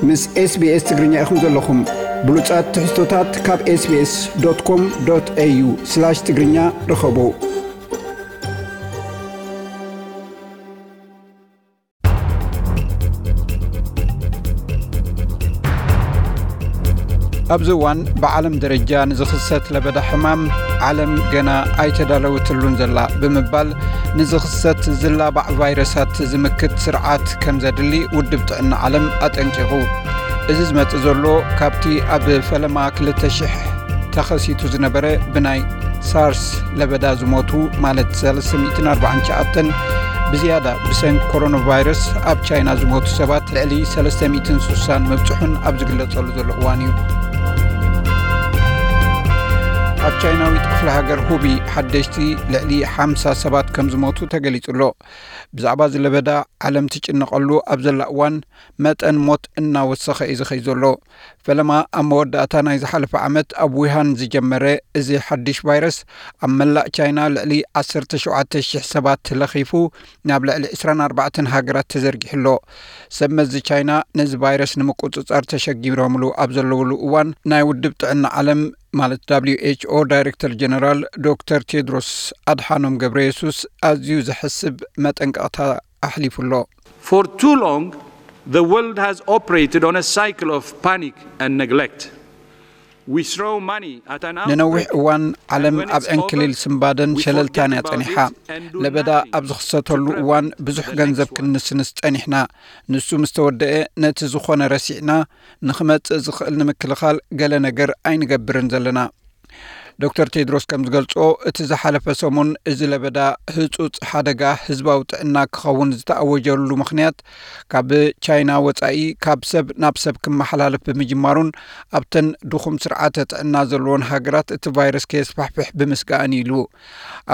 ምስ SBS ትግርኛ ኢኹም ዘለኹም። ብሉጻት ትሕዝቶታት ካብ SBS.com.au/ትግርኛ ርኸቡ። ኣብዚ እዋን ብዓለም ደረጃ ንዝኽሰት ለበዳ ሕማም ዓለም ገና ኣይተዳለወትሉን ዘላ ብምባል፣ ንዝኽሰት ዝላባዕ ቫይረሳት ዝምክት ስርዓት ከም ዘድሊ ውድብ ጥዕና ዓለም ኣጠንቂቑ። እዚ ዝመጽእ ዘሎ ካብቲ ኣብ ፈለማ ክልተ ሽሕ ተኸሲቱ ዝነበረ ብናይ ሳርስ ለበዳ ዝሞቱ፣ ማለት ሰለስተ ሚእትን ኣርባዓን ትሽዓተን ብዝያዳ ብሰንኪ ኮሮና ቫይረስ ኣብ ቻይና ዝሞቱ ሰባት ልዕሊ ሰለስተ ሚእትን ስሳን ምብጽሑን ኣብ ዝግለጸሉ ዘሎ እዋን እዩ። ኣብ ቻይናዊት ክፍለ ሃገር ሁቢ ሓደሽቲ ልዕሊ ሓምሳ ሰባት ከም ዝሞቱ ተገሊጹ ኣሎ። ብዛዕባ እዚ ለበዳ ዓለም ትጭነቐሉ ኣብ ዘላ እዋን፣ መጠን ሞት እናወሰኸ እዩ ዝኸይ ዘሎ። ፈለማ ኣብ መወዳእታ ናይ ዝሓለፈ ዓመት ኣብ ዊሃን ዝጀመረ እዚ ሓድሽ ቫይረስ፣ ኣብ መላእ ቻይና ልዕሊ ዓሰርተ ሸውዓተ ሽሕ ሰባት ለኺፉ፣ ናብ ልዕሊ ዕስራን ኣርባዕተን ሃገራት ተዘርጊሑ ኣሎ። ሰብ መዚ ቻይና ነዚ ቫይረስ ንምቁጽጻር ተሸጊሮምሉ ኣብ ዘለውሉ እዋን፣ ናይ ውድብ ጥዕና ዓለም፣ ማለት ደብሊው ኤች ኦ ዳይሬክተር ጀነራል ዶክተር ቴድሮስ ኣድሓኖም ገብረ የሱስ ኣዝዩ ዘሕስብ መጠንቀቕታ ኣሕሊፉ ኣሎ። For too long, the world has operated on a cycle of panic and neglect. We throw money at an ንነዊሕ outbreak, እዋን ዓለም ኣብ ዕንክሊል ስምባደን ሸለልታን እያ ጸኒሓ። ለበዳ ኣብ ዝኽሰተሉ እዋን ብዙሕ ገንዘብ ክንንስንስ ጸኒሕና። ንሱ ምስ ተወደአ፣ ነቲ ዝኾነ ረሲዕና፣ ንኽመጽእ ዝኽእል ንምክልኻል ገለ ነገር ኣይንገብርን ዘለና። ዶክተር ቴድሮስ ከም ዝገልጾ፣ እቲ ዝሓለፈ ሰሙን እዚ ለበዳ ህጹጽ ሓደጋ ህዝባዊ ጥዕና ክኸውን ዝተኣወጀሉ ምኽንያት፣ ካብ ቻይና ወጻኢ ካብ ሰብ ናብ ሰብ ክመሓላለፍ ብምጅማሩን ኣብተን ድኹም ስርዓተ ጥዕና ዘለወን ሃገራት እቲ ቫይረስ ከየስፋሕፍሕ ብምስጋእን ኢሉ።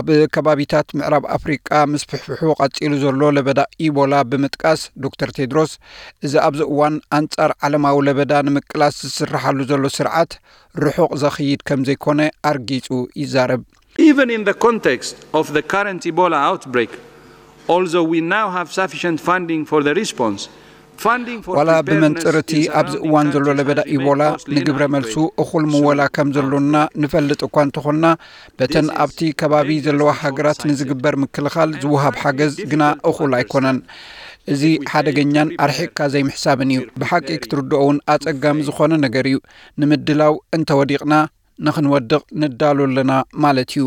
ኣብ ከባቢታት ምዕራብ ኣፍሪቃ ምስፍሕፍሑ ቀጺሉ ዘሎ ለበዳ ኢቦላ ብምጥቃስ፣ ዶክተር ቴድሮስ፣ እዚ ኣብዚ እዋን ኣንጻር ዓለማዊ ለበዳ ንምቅላስ ዝስርሓሉ ዘሎ ስርዓት ርሑቕ ዘኽይድ ከም ዘይኮነ ኣርጊጹ ይዛረብ። Even in the context of the current Ebola outbreak, although we now have sufficient funding for the response, funding for ዋላ ብመንጽር እቲ ኣብዚ እዋን ዘሎ ለበዳ ኢቦላ ንግብረ መልሱ እኹል ምወላ ከም ዘሎና ንፈልጥ እኳ እንተኾንና፣ በተን ኣብቲ ከባቢ ዘለዋ ሃገራት ንዝግበር ምክልኻል ዝወሃብ ሓገዝ ግና እኹል ኣይኮነን። እዚ ሓደገኛን ኣርሒቕካ ዘይምሕሳብን እዩ። ብሓቂ ክትርድኦ እውን ኣጸጋሚ ዝኾነ ነገር እዩ። ንምድላው እንተወዲቕና፣ ንኽንወድቕ ንዳሎ ኣለና ማለት እዩ።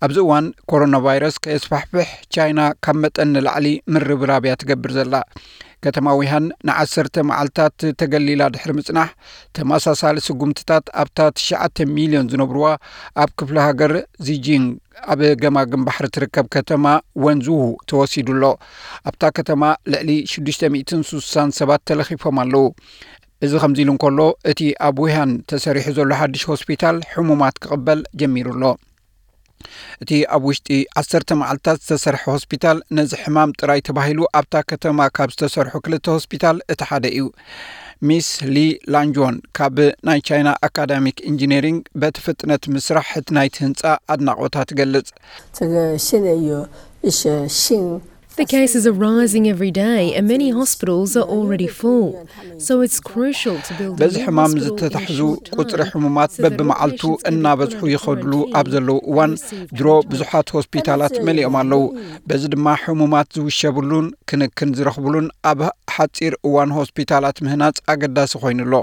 ኣብዚ እዋን ኮሮና ቫይረስ ከየስፋሕፍሕ፣ ቻይና ካብ መጠን ንላዕሊ ምርብራብ እያ ትገብር ዘላ። ከተማ ዊሃን ንዓሰርተ መዓልታት ተገሊላ ድሕሪ ምጽናሕ፣ ተመሳሳሊ ስጉምትታት ኣብታ ትሽዓተ ሚልዮን ዝነብርዋ ኣብ ክፍለ ሃገር ዚጂንግ ኣብ ገማግም ባሕሪ ትርከብ ከተማ ወንዙሁ ተወሲዱ ኣሎ። ኣብታ ከተማ ልዕሊ ሽዱሽተ ሚእትን ስሳን ሰባት ተለኺፎም ኣለዉ። እዚ ከምዚ ኢሉ እንከሎ፣ እቲ ኣብ ዊሃን ተሰሪሑ ዘሎ ሓድሽ ሆስፒታል ሕሙማት ክቕበል ጀሚሩ ኣሎ። እቲ ኣብ ውሽጢ ዓሰርተ መዓልታት ዝተሰርሐ ሆስፒታል፣ ነዚ ሕማም ጥራይ ተባሂሉ ኣብታ ከተማ ካብ ዝተሰርሑ ክልተ ሆስፒታል እቲ ሓደ እዩ። ሚስ ሊ ላንጆን ካብ ናይ ቻይና ኣካዳሚክ ኢንጂነሪንግ በቲ ፍጥነት ምስራሕ እቲ ናይቲ ህንጻ ኣድናቖታ ትገልጽ። 这个现在有一些新 The cases are rising every day, and many hospitals are already full. So it's crucial to build a በዚ new ሕማም hospital in a ዝተታሕዙ short ቁጽሪ time ሕሙማት so that በብመዓልቱ patients can እናበዝሑ apply for ይኸድሉ and ኣብ ዘለዉ እዋን receive ድሮ treatment. ብዙሓት ሆስፒታላት መሊኦም ኣለዉ። በዚ ድማ ሕሙማት ዝውሸብሉን ክንክን ዝረኽብሉን ኣብ ሓጺር እዋን ሆስፒታላት ምህናጽ ኣገዳሲ ኮይኑ ኣሎ።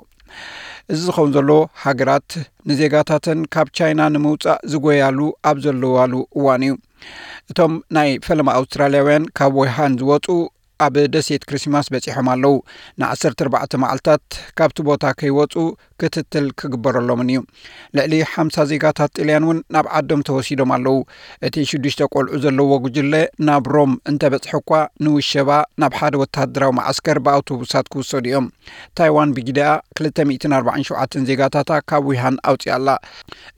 እዚ ዝኸውን ዘሎ ሃገራት ንዜጋታተን ካብ ቻይና ንምውጻእ ዝጎያሉ ኣብ ዘለዋሉ እዋን እዩ። እቶም ናይ ፈለማ ኣውስትራልያውያን ካብ ወይሃን ዝወጹ ኣብ ደሴት ክሪስማስ በጺሖም ኣለዉ። ን ዓሰርተ ኣርባዕተ መዓልታት ካብቲ ቦታ ከይወጹ ክትትል ክግበረሎምን እዩ። ልዕሊ ሓምሳ ዜጋታት ጥልያን እውን ናብ ዓዶም ተወሲዶም ኣለዉ። እቲ ሽዱሽተ ቆልዑ ዘለዎ ጉጅለ ናብ ሮም እንተበጽሐ እኳ፣ ንውሸባ ናብ ሓደ ወተሃደራዊ መዓስከር ብኣውቶቡሳት ክውሰዱ እዮም። ታይዋን ብጊደኣ ክልተ ሚእትን ኣርባዓን ሸውዓተን ዜጋታታ ካብ ዊሃን ኣውጺኣ ኣላ።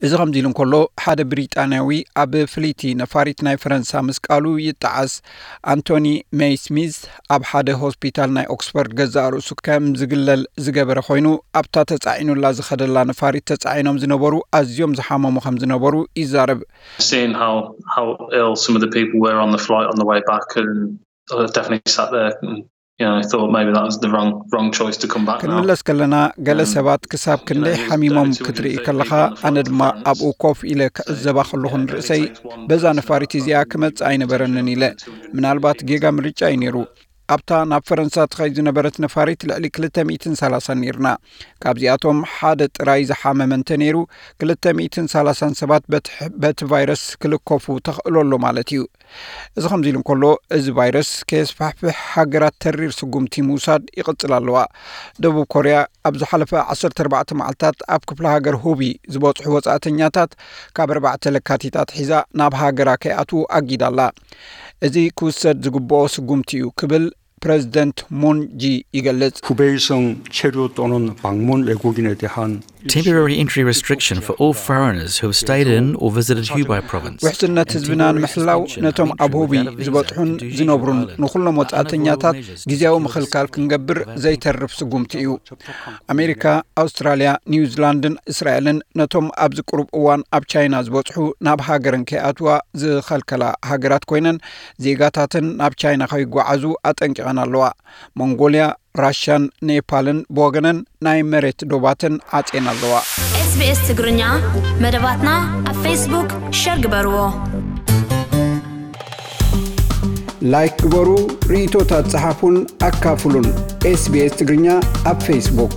እዚ ከምዚ ኢሉ እንከሎ፣ ሓደ ብሪጣንያዊ ኣብ ፍልይቲ ነፋሪት ናይ ፈረንሳ ምስቃሉ ይጠዓስ። ኣንቶኒ ሜይ ስሚዝ ኣብ ሓደ ሆስፒታል ናይ ኦክስፎርድ ገዛእ ርእሱ ከም ዝግለል ዝገበረ ኮይኑ፣ ኣብታ ተጻዒኑላ ዝኸደላ ነፋሪት ተጻዒኖም ዝነበሩ ኣዝዮም ዝሓመሙ ከም ዝነበሩ ይዛረብ። Seeing how how ill some of the people were on the flight on the way back, and I definitely sat there and Yeah, I thought maybe that was the wrong wrong choice to come back now. ክንምለስ ከለና፣ ገለ ሰባት ክሳብ ክንደይ ሓሚሞም ክትርኢ ከለኻ፣ ኣነ ድማ ኣብኡ ኮፍ ኢለ ክዕዘባ ከለኹ ንርእሰይ፣ በዛ ነፋሪት እዚኣ ክመጽእ ኣይነበረንን ኢለ። ምናልባት ጌጋ ምርጫ እዩ ነይሩ። ኣብታ ናብ ፈረንሳ ትኸይድ ዝነበረት ነፋሪት ልዕሊ ክልተ ሚእትን ሰላሳን ነይርና። ካብዚኣቶም ሓደ ጥራይ ዝሓመመ እንተ ነይሩ፣ ክልተ ሚእትን ሰላሳን ሰባት በቲ ሕ- በቲ ቫይረስ ክልከፉ ተኽእሎ ኣሎ ማለት እዩ። እዚ ከምዚ ኢሉ እንከሎ፣ እዚ ቫይረስ ከየስፋሕፍሕ ሃገራት ተሪር ስጉምቲ ምውሳድ ይቕጽል ኣለዋ። ደቡብ ኮርያ ኣብ ዝሓለፈ ዓሰርተ ኣርባዕተ መዓልታት ኣብ ክፍለ ሃገር ሁቢ ዝበጽሑ ወጻእተኛታት ካብ ኣርባዕተ ለካቲት ኣትሒዛ ናብ ሃገራ ከይኣትዉ ኣጊዳ ኣላ። እዚ ክውሰድ ዝግብኦ ስጉምቲ እዩ ክብል ፕረዚደንት ሙን ጂ ይገልጽ። 후베이성 체류 또는 방문 외국인에 대한 Temporary entry restriction for all foreigners who have stayed in or visited Hubei province. ውሕስነት ህዝብና ንምሕላው፣ ነቶም ኣብ ሁቢ ዝበጽሑን ዝነብሩን ንኹሎም ወጻእተኛታት ግዜያዊ ምኽልካል ክንገብር ዘይተርፍ ስጉምቲ እዩ። ኣሜሪካ፣ ኣውስትራልያ፣ ኒውዚላንድን እስራኤልን ነቶም ኣብዚ ቅሩብ እዋን ኣብ ቻይና ዝበጽሑ ናብ ሃገረን ከይኣትዋ ዝኸልከላ ሃገራት ኮይነን፣ ዜጋታተን ናብ ቻይና ከይጓዓዙ ኣጠንቂቐን ኣለዋ። ሞንጎልያ፣ ራሽያን ኔፓልን ብወገነን ናይ መሬት ዶባተን ዓጽየን ኣለዋ። SBS ትግርኛ መደባትና ኣብ ፌስቡክ ሸር ግበርዎ። ላይክ ግበሩ፣ ርእይቶታት ጸሓፉን ኣካፍሉን። ኤስቢኤስ ትግርኛ ኣብ ፌስቡክ።